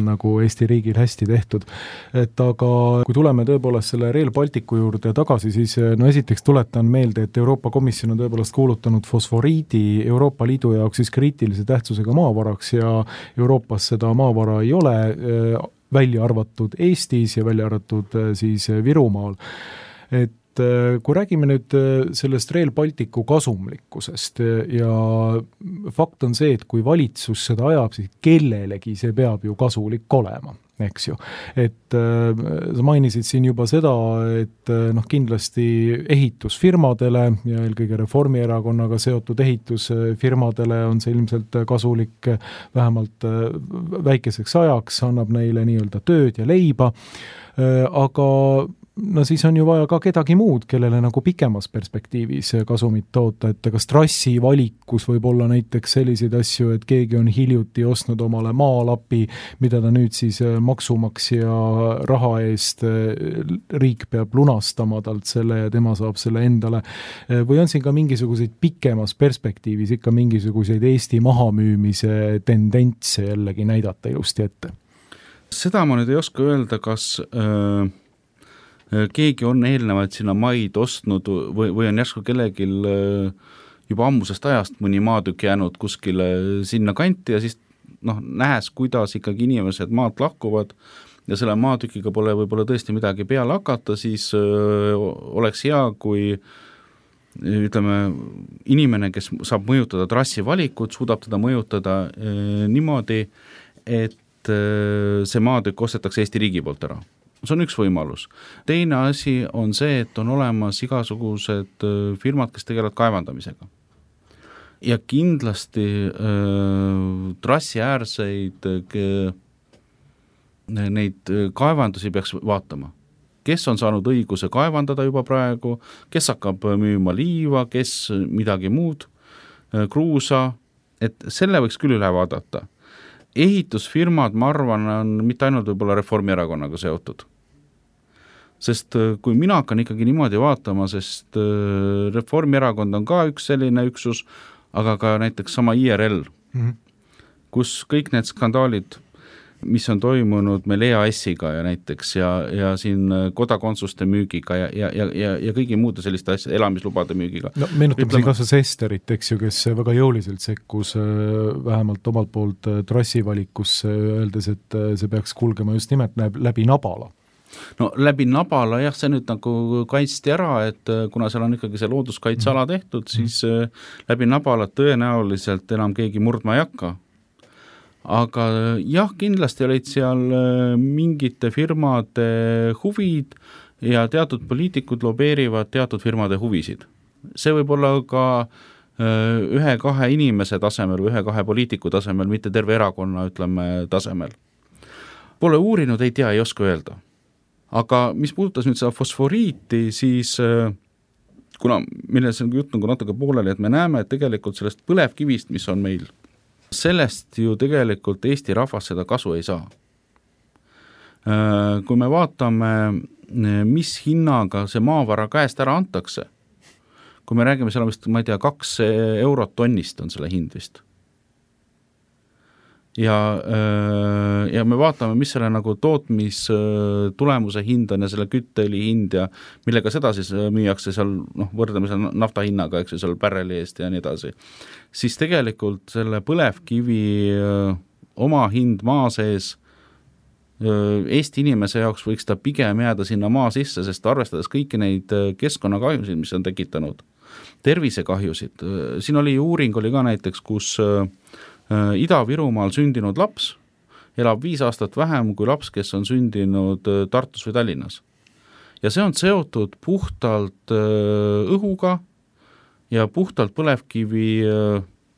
nagu Eesti riigil hästi tehtud. Et aga kui tuleme tõepoolest selle Rail Balticu juurde tagasi, siis esiteks tuletan meelde, et Euroopa Komisjon on tõepoolest kuulutanud fosforiidi Euroopa Liidu jaoks siis kriitilise tähtsusega maavaraks ja Euroopas seda maavara ei ole, välja arvatud Eestis ja välja arvatud siis Virumaal. Et kui räägime nüüd sellest Rail Balticu kasumlikkusest ja fakt on see, et kui valitsus seda ajab, siis kellelegi see peab ju kasulik olema, eks ju. Et sa mainisid siin juba seda, et kindlasti ehitusfirmadele ja eelkõige Reformierakonnaga seotud ehitusfirmadele on see ilmselt kasulik vähemalt väikeseks ajaks, annab neile nii-öelda tööd ja leiba, aga no siis on ju vaja ka kedagi muud, kellele nagu pikemas perspektiivis kasumit toota, et kas trassi valikus võib olla näiteks selliseid asju, et keegi on hiljuti ostnud omale maalapi, mida ta nüüd siis maksumaksja raha eest riik peab lunastama talt selle ja tema saab selle endale, või on siin ka mingisuguseid pikemas perspektiivis ikka mingisuguseid Eesti mahamüümise tendentse jällegi näidata ilusti ette? Seda ma nüüd ei oska öelda, kas keegi on eelnevalt sinna maid ostnud või on järsku kellelgi juba ammusest ajast mõni maatükk jäänud kuskile sinna kanti ja siis nähes, kuidas ikkagi inimesed maalt lahkuvad ja selle maatükiga pole võib-olla tõesti midagi peale hakata, siis oleks hea, kui ütleme, inimene, kes saab mõjutada trassi valikut, suudab teda mõjutada niimoodi, et see maatükk ostetakse Eesti riigi poolt ära. See on üks võimalus. Teine asi on see, et on olemas igasugused firmad, kes tegelevad kaevandamisega. Ja kindlasti trassi äärseid neid kaevandusi peaks vaatama. Kes on saanud õiguse kaevandada juba praegu, kes hakkab müüma liiva, kes midagi muud, kruusa, et selle võiks küll üle vaadata. Ehitusfirmad, ma arvan, on mitte ainult võib-olla Reformierakonnaga seotud. Sest kui mina hakkan ikkagi niimoodi vaatama, sest Reformierakond on ka üks selline üksus, aga ka näiteks sama IRL, kus kõik need skandaalid, mis on toimunud meil EAS-iga ja näiteks ja siin kodakondsuste müügiga ja kõigi muude selliste asjade, elamislubade müügiga. No meenutame siin kasvõi Sesterit, eks ju, kes väga jõuliselt sekkus vähemalt omalt poolt trassivalikusse, öeldes, et see peaks kulgema just nimelt läbi Nabala. No läbi Nabala, jah, see nüüd nagu kaitsti ära, et kuna seal on ikkagi see looduskaitsala tehtud, siis läbi Nabala tõenäoliselt enam keegi murdma ei hakka. Aga jah, kindlasti olid seal mingite firmade huvid ja teatud poliitikud lobeerivad teatud firmade huvisid. See võib olla ka ühe-kahe inimese tasemel või ühe-kahe poliitiku tasemel, mitte terve erakonna, ütleme, tasemel. Pole uurinud, ei tea, ei oska öelda. Aga mis puudutas nüüd seda fosforiiti, siis kuna milles on jutt nagu natuke pooleli, et me näeme, et tegelikult sellest põlevkivist, mis on meil, sellest ju tegelikult Eesti rahvas seda kasu ei saa. Kui me vaatame, mis hinnaga see maavara käest ära antakse, kui me räägime seal vist, ma ei tea, 2 eurot tonnist on selle hind vist. Ja me vaatame, mis selle nagu tootmistulemuse hind on ja selle kütteõli hind ja millega seda siis müüakse seal, võrdleme seal nafta hinnaga, eks ju, seal pärreli eest ja nii edasi. Siis tegelikult selle põlevkivi oma hind maa sees Eesti inimese jaoks võiks ta pigem jääda sinna maa sisse, sest arvestades kõiki neid keskkonnakahjusid, mis on tekitanud, tervisekahjusid. Siin oli uuring oli ka näiteks, kus Ida-Virumaal sündinud laps elab 5 aastat vähem kui laps, kes on sündinud Tartus või Tallinnas. Ja see on seotud puhtalt õhuga ja puhtalt põlevkivi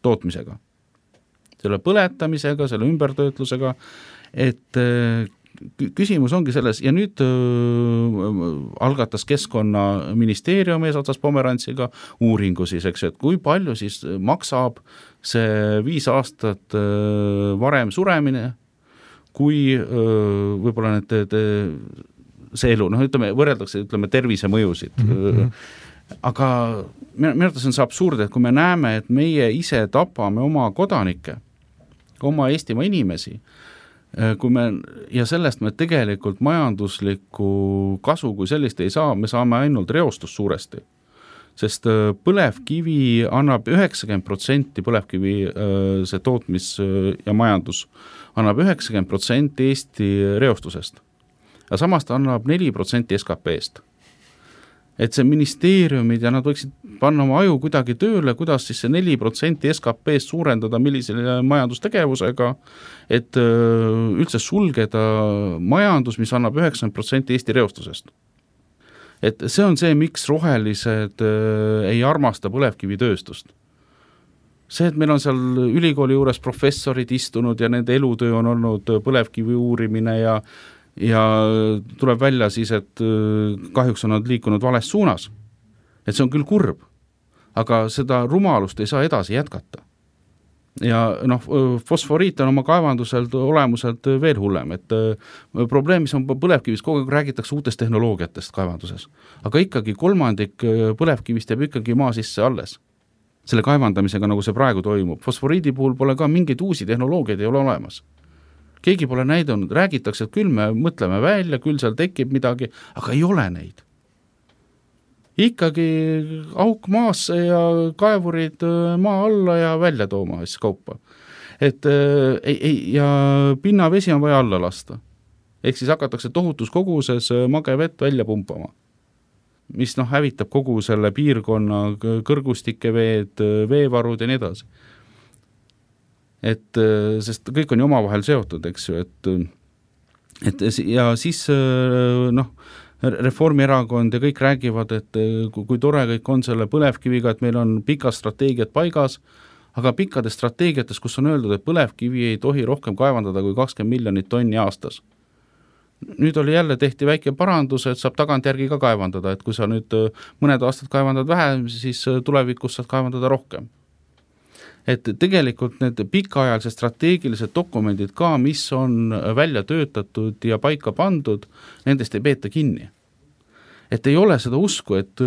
tootmisega. Selle põletamisega, selle ümbertöötlusega, et küsimus ongi selles, ja nüüd algatas Keskkonnaministeerium eesotsas Pomerantsiga uuringu siis, eks, et kui palju siis maksab see 5 aastat varem suremine, kui võib-olla see elu, ütleme, võrreldakse, tervise mõjusid. Aga minu arvates on see absurd, et kui me näeme, et meie ise tapame oma kodanikke, oma Eestimaa inimesi, ja sellest me tegelikult majanduslikku kasu kui sellist ei saa, me saame ainult reostust suuresti. Sest põlevkivi annab 90% põlevkivi see tootmis ja majandus annab 90% Eesti reostusest. Ja samas ta annab 4% SKP-st. Et see ministeeriumid ja nad võiksid panna oma aju kuidagi tööle, kuidas siis see 4% SKP-st suurendada millisele majandustegevusega, et üldse sulgeda majandus, mis annab 90% Eesti reostusest. Et see on see, miks rohelised ei armasta põlevkivitööstust. See, et meil on seal ülikooli juures professorid istunud ja nende elutöö on olnud põlevkivi uurimine ja ja tuleb välja siis, et kahjuks on nad liikunud vales suunas. Et see on küll kurb, aga seda rumalust ei saa edasi jätkata. Ja fosforiit on oma kaevanduselt olemuselt veel hullem, et probleem, mis on põlevkivis, kogu aeg räägitakse uutest tehnoloogiatest kaevanduses, aga ikkagi 1/3 põlevkivist jääb ikkagi maa sisse alles. Selle kaevandamisega, nagu see praegu toimub. Fosforiidi puhul pole ka mingeid uusi tehnoloogiaid ei ole olemas. Keegi pole näidanud, räägitakse, et küll me mõtleme välja, küll seal tekib midagi, aga ei ole neid. Ikkagi auk maasse ja kaevurid maa alla ja välja tooma siis kaupa. Ja pinnavesi on vaja alla lasta. Ehk siis hakatakse tohutus koguses magevett välja pumpama, mis hävitab kogu selle piirkonna kõrgustike veed, veevarud ja nii edasi. Sest kõik on ju omavahel seotud, eks ju, ja siis Reformierakond ja kõik räägivad, et kui tore kõik on selle põlevkiviga, et meil on pikad strateegiad paigas, aga pikkades strateegiates, kus on öeldud, et põlevkivi ei tohi rohkem kaevandada kui 20 miljonit tonni aastas. Nüüd oli jälle tehti väike parandus, et saab tagantjärgi ka kaevandada, et kui sa nüüd mõned aastad kaevandad vähem, siis tulevikus saad kaevandada rohkem. Et tegelikult need pikaajalised strateegilised dokumendid ka, mis on välja töötatud ja paika pandud, nendest ei peeta kinni. Et ei ole seda usku, et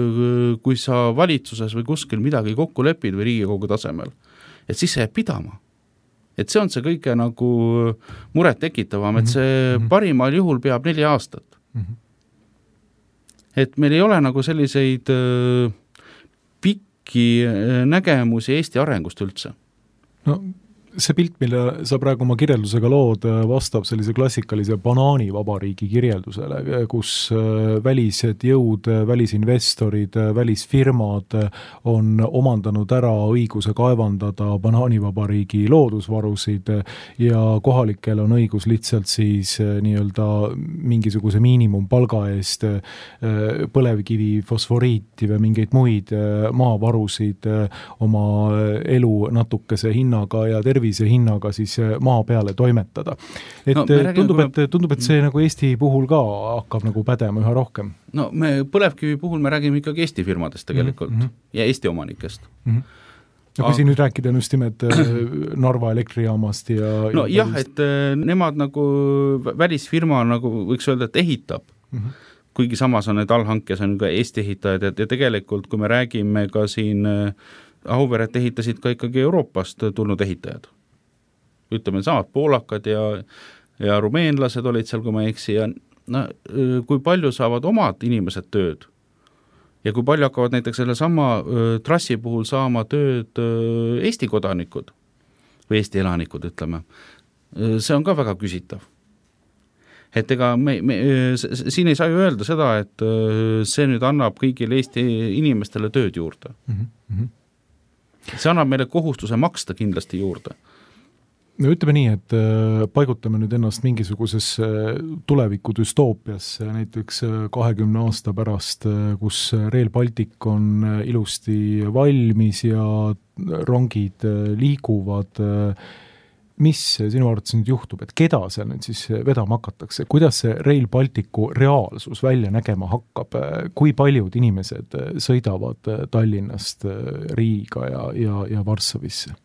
kui sa valitsuses või kuskil midagi kokku lepid või Riigikogu tasemel, et siis see jääb pidama. Et see on see kõige nagu muret tekitavam, et see parimal juhul peab 4 aastat. Et meil ei ole nagu selliseid nägemusi Eesti arengust üldse. No see pilt, mille sa praegu oma kirjeldusega lood, vastab sellise klassikalise banaanivabariigi kirjeldusele, kus välised jõud, välisinvestorid, välisfirmad on omandanud ära õiguse kaevandada banaanivabariigi loodusvarusid ja kohalikel on õigus lihtsalt siis nii-öelda mingisuguse miinimumpalga eest põlevkivi, fosforiiti või mingeid muid maavarusid oma elu natukese hinnaga ja tervise hinnaga siis maa peale toimetada. Et tundub, et see nagu Eesti puhul ka hakkab nagu pädema üha rohkem. No me põlevkivi puhul me räägime ikkagi Eesti firmadest tegelikult ja Eesti omanikest. Ja kui siin nüüd rääkida just nimelt Narva elektrijaamast ja... No jah, et nemad nagu välisfirma nagu võiks öelda, et ehitab. Kuigi samas on need allhankes on ka Eesti ehitajad ja tegelikult, kui me räägime ka siin Auveret ehitasid ka ikkagi Euroopast tulnud ehitajad. Ütleme, samad poolakad ja rumeenlased olid seal, kui ma eksi, ja kui palju saavad omad inimesed tööd ja kui palju hakkavad näiteks selle sama trassi puhul saama tööd Eesti kodanikud või Eesti elanikud, ütleme. See on ka väga küsitav. Et ega siin ei saa ju öelda seda, et see nüüd annab kõigile Eesti inimestele tööd juurde. See annab meile kohustuse maksta kindlasti juurde. No ütleme nii, et paigutame nüüd ennast mingisuguses tuleviku düstoopiasse, näiteks 20 aasta pärast, kus Rail Baltic on ilusti valmis ja rongid liiguvad. Mis sinu arvates nüüd juhtub, et keda seal nüüd siis vedama hakatakse? Kuidas see Rail Balticu reaalsus välja nägema hakkab? Kui paljud inimesed sõidavad Tallinnast Riiga ja Varssavisse?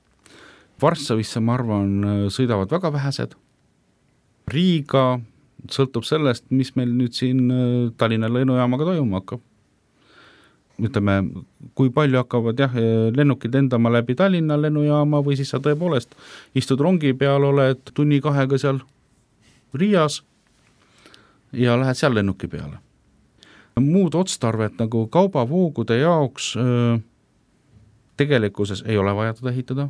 Varssavisse, ma arvan, sõidavad väga vähesed. Riiga sõltub sellest, mis meil nüüd siin Tallinna lennujaamaga toimuma hakkab. Ütleme, kui palju hakkavad lennukid lendama läbi Tallinna lennujaama või siis sa tõepoolest istud rongi peal, oled 1-2 seal Riias ja lähed seal lennuki peale. Muud otstarvet nagu kaubavoogude jaoks tegelikkuses ei ole vaja teda ehitada.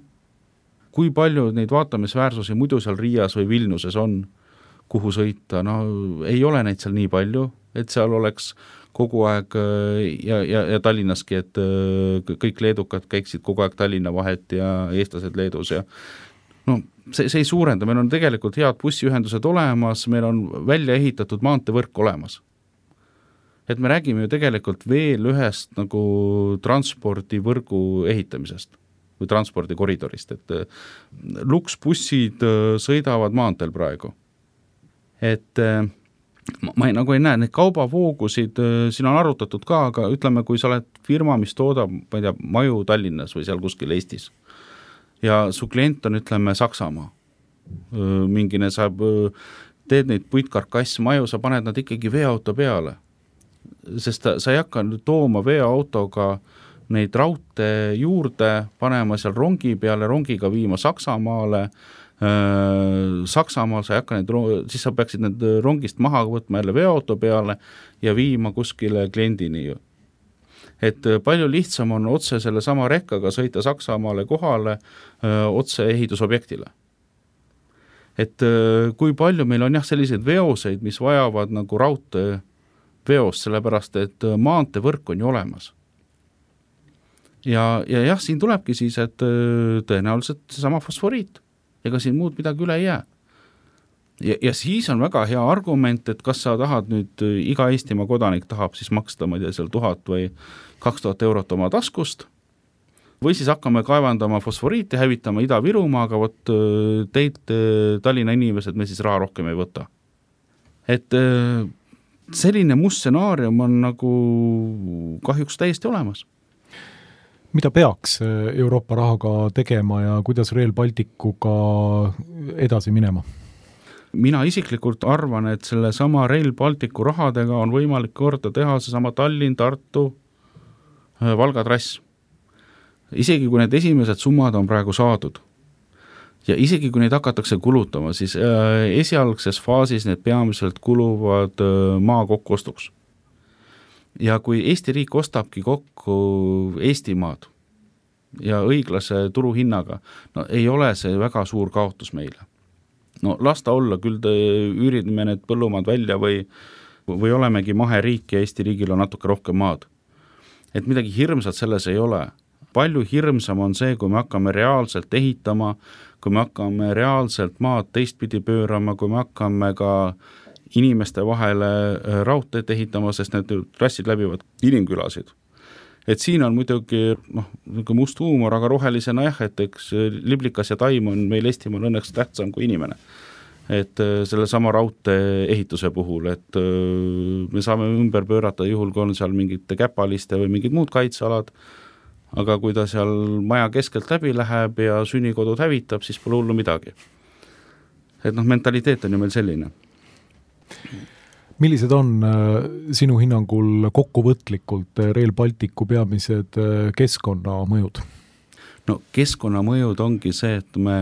Kui palju neid vaatamisväärsusi muidu seal Riias või Vilniuses on, kuhu sõita, ei ole neid seal nii palju, et seal oleks kogu aeg ja Tallinnaski, et kõik leedukad käiksid kogu aeg Tallinna vahet ja eestlased Leedus ja see ei suurenda, meil on tegelikult head bussiühendused olemas, meil on välja ehitatud maanteevõrk olemas. Et me räägime ju tegelikult veel ühest nagu transpordivõrgu ehitamisest või transpordikoridorist, et luksbussid sõidavad maanteel praegu. Et ma nagu ei näe, neid kaubavoogusid siin on arutatud ka, aga ütleme, kui sa oled firma, mis toodab, ma ei tea, maju Tallinnas või seal kuskil Eestis ja su klient on, ütleme, Saksamaa, mingine saab, teed neid puitkarkassmaju, sa paned nad ikkagi veoauto peale, sest sa ei hakka tooma veoautoga neid raudtee juurde, panema seal rongi peale, rongiga viima Saksamaale, Saksamaal sa ei hakka siis sa peaksid need rongist maha võtma jälle veoauto peale ja viima kuskile kliendini ju. Et palju lihtsam on otse selle sama rekkaga sõita Saksamaale kohale otse ehitusobjektile. Et kui palju meil on selliseid veoseid, mis vajavad nagu raudtee veost, sellepärast et maanteevõrk on ju olemas. Ja siin tulebki siis, et tõenäoliselt sama fosforiit, ega siin muud midagi üle ei jää. Ja siis on väga hea argument, et kas sa tahad nüüd, iga Eestimaa kodanik tahab siis maksta, ma ei tea, seal 1000 või 2000 eurot oma taskust, või siis hakkame kaevandama fosforiiti, hävitama Ida-Virumaa, aga vot teid Tallinna inimesed me siis raha rohkem ei võta. Et selline must stsenaarium on nagu kahjuks täiesti olemas. Mida peaks Euroopa rahaga tegema ja kuidas Rail Balticuga edasi minema? Mina isiklikult arvan, et selle sama Rail Balticu rahadega on võimalik korda teha see sama Tallinn, Tartu, Valga trass. Isegi kui need esimesed summad on praegu saadud ja isegi kui neid hakatakse kulutama, siis esialgses faasis need peamiselt kuluvad maa kokkuostuks. Ja kui Eesti riik ostabki kokku Eestimaad ja õiglase turuhinnaga, no ei ole see väga suur kaotus meile. No lasta olla, küll üürime need põllumaad välja või olemegi maheriik ja Eesti riigil on natuke rohkem maad. Et midagi hirmsat selles ei ole. Palju hirmsam on see, kui me hakkame reaalselt ehitama, kui me hakkame reaalselt maad teistpidi pöörama, kui me hakkame ka inimeste vahele raudteed ehitama, sest need trassid läbivad inimkülasid. Et siin on muidugi must huumor, aga rohelisena et eks liblikas ja taim on meil Eestimaal õnneks tähtsam kui inimene. Et selle sama raudtee ehituse puhul, et me saame ümber pöörata juhul, kui on seal mingite käpaliste või mingid muud kaitsealad, aga kui ta seal maja keskelt läbi läheb ja sünnikodud hävitab, siis pole hullu midagi. Et mentaliteet on ju meil selline. Millised on sinu hinnangul kokkuvõtlikult Rail Balticu peamised keskkonnamõjud? No keskkonnamõjud ongi see, et me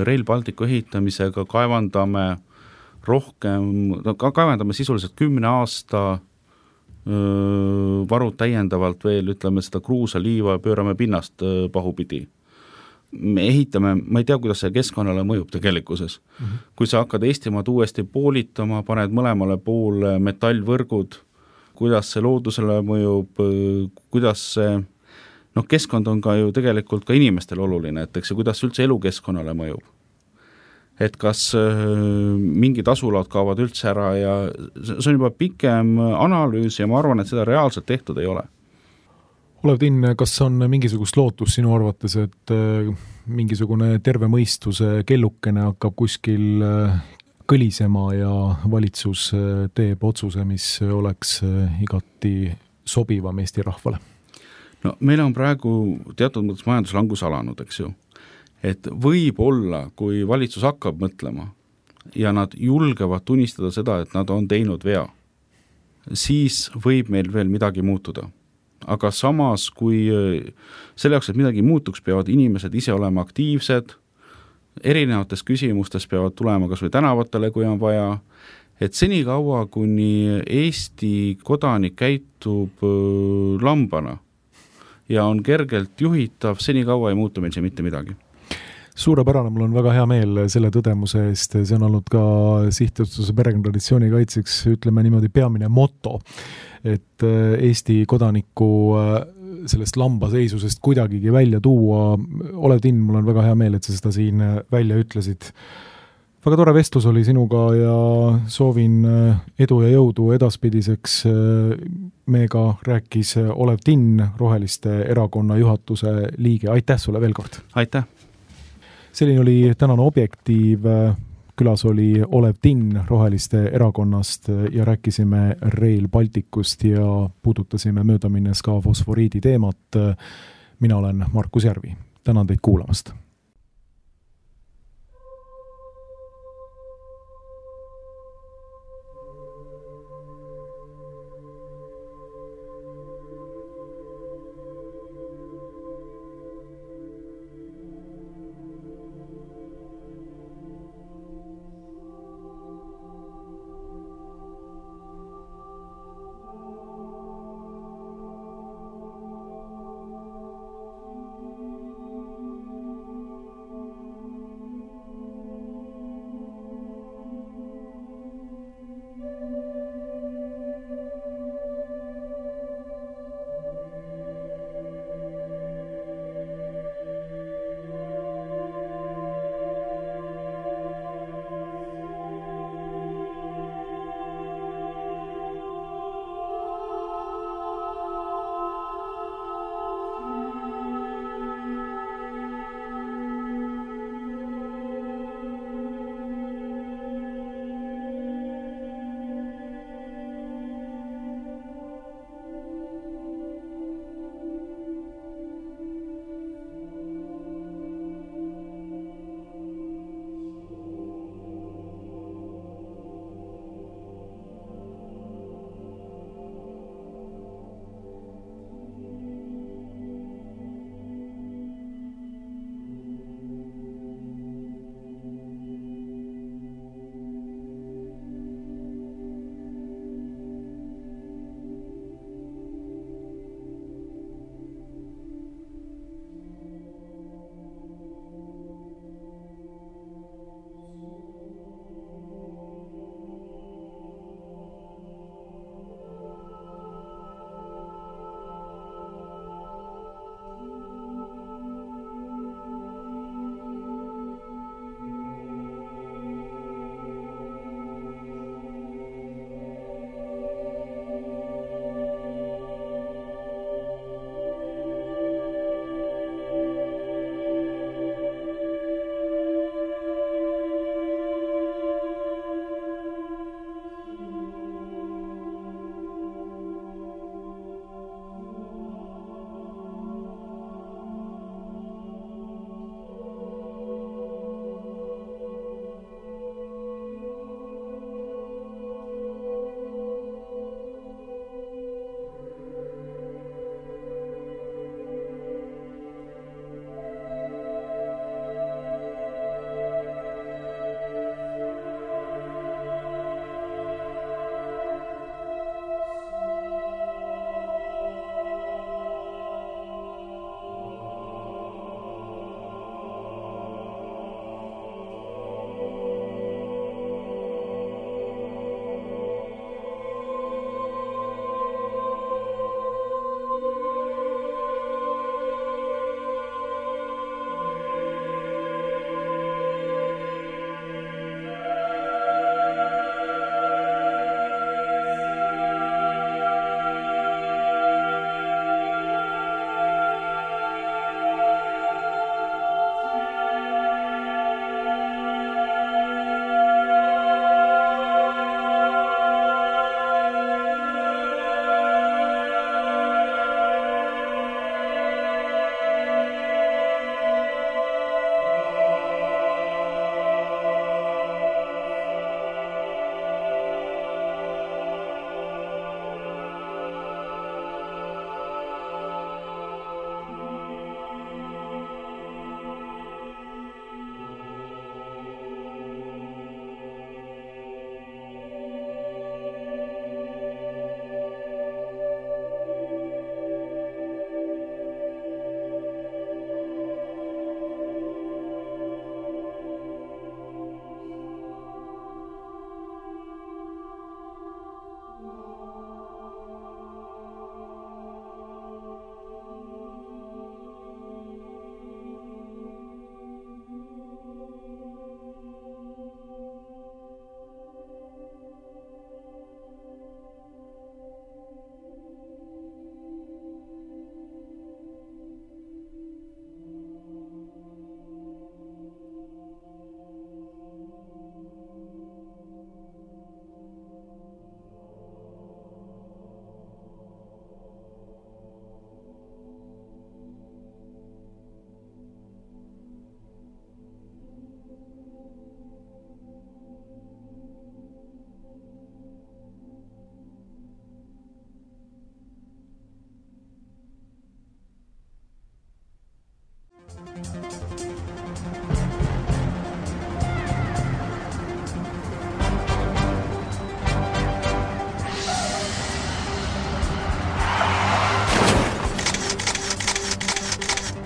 Rail Balticu ehitamisega kaevandame kaevandame sisuliselt 10 aasta varud täiendavalt veel, ütleme seda kruusaliiva, pöörame pinnast pahupidi. Me ehitame, ma ei tea, kuidas see keskkonnale mõjub tegelikkuses. Kui sa hakkad Eestimaad uuesti poolitama, paned mõlemale poole metallvõrgud, kuidas see loodusele mõjub, kuidas see, keskkond on ka ju tegelikult ka inimestel oluline, et eks kuidas üldse elukeskkonnale mõjub. Et kas mingid asulad kaovad üldse ära ja see on juba pikem analüüs ja ma arvan, et seda reaalselt tehtud ei ole. Olev Tinn, kas on mingisugust lootus sinu arvates, et mingisugune terve mõistuse kellukene hakkab kuskil kõlisema ja valitsus teeb otsuse, mis oleks igati sobivam Eesti rahvale? No meil on praegu teatud mõttes majanduslangus alanud, eks ju. Et võib-olla, kui valitsus hakkab mõtlema ja nad julgevad tunnistada seda, et nad on teinud vea, siis võib meil veel midagi muutuda. Aga samas, kui selle jaoks, et midagi muutuks, peavad inimesed ise olema aktiivsed, erinevates küsimustes peavad tulema kas või tänavatele, kui on vaja, et senikaua, kuni Eesti kodanik käitub lambana ja on kergelt juhitav, senikaua ei muutu meil see mitte midagi. Suurepärane, mul on väga hea meel selle tõdemuse eest, see on olnud ka Sihtasutuse perekonnatraditsiooni kaitseks, ütleme niimoodi, peamine moto, et Eesti kodaniku sellest lambaseisusest kuidagigi välja tuua. Olev Tinn, mul on väga hea meel, et sa seda siin välja ütlesid. Väga tore vestlus oli sinuga ja soovin edu ja jõudu edaspidiseks. Meiega rääkis Olev Tinn, Roheliste erakonna juhatuse liige. Aitäh sulle veel kord! Aitäh! Selline oli tänane Objektiiv. Külas oli Olev Tinn Roheliste erakonnast ja rääkisime Rail Balticust ja puudutasime möödaminnes ka fosforiidi teemat. Mina olen Markus Järvi. Tänan teid kuulamast.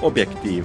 Objektiiv